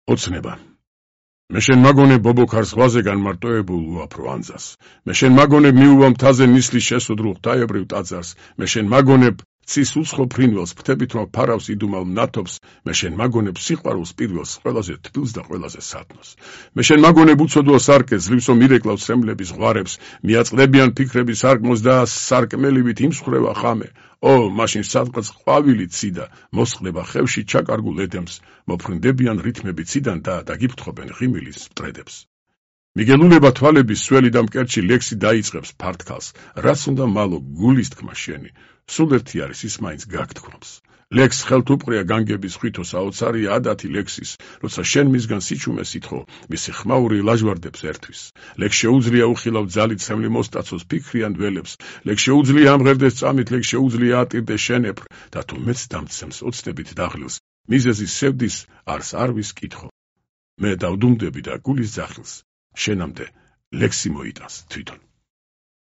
ოცნება. მე შენ მაგონებ ბობოქარს ზღვაზე განმარტოებულ უაფრო ანძას. მე შენ მაგონებ მიუვა მთაზე ნისლის შესუდრულ ღვთაებრივ ტაძარს. მე შენ მაგონებ ცის უცხო ფრინველს, ფრთებით რომ ფარავს იდუმალ მნათობს. მე შენ მაგონებ სიყვარულს პირველს, ყველაზე თბილს და ყველაზე სათნოს. მე შენ მაგონებ უცოდველ სარკეს, ძლივს რომ ირეკლავს სრემლების ზღვარებს, მიაწყდებიან ფიქრების სარკმოს და სარკმელივით იმსხვრევა ხამე. მაშინ სადღაც ყვავილი ციდა, მოსხდება ხევში ჩაკარგულ ედემს, მოფრინდებიან რითმები ციდან და დაგიფრთხობენ ღიმილის მტრედებს. მიგელულება თვალების სველი და მკერჩი ლექსი დაიწყებს ფართკალს, რაც უნდა მალო გულის თქმა შენი, სულ ერთი არის ის მაინც გაგთქვამს. ლექს ხელთ უპყრია განგების ხვითო საოცარია ადათი ლექსის, როცა შენ მისგან სიჩუმე სითხო, მისი ხმაური ლაჟვარდებს ერთვის. ლექს შეუძლია უხილავ ძალით სემლი მოსტაცოს ფიქრიან დველებს, ლექს შეუძლია ამღერდეს წამით, ლექს შეუძლია ატირდეს შენეფრ, და თუ მეც დამცემს ოცნებით დაღლილს, მიზეზის სევდის არს არვის კითხო. მე დავდუმდები და გულის ძახილს, შენამდე ლექსი მოიტანს თვითონ.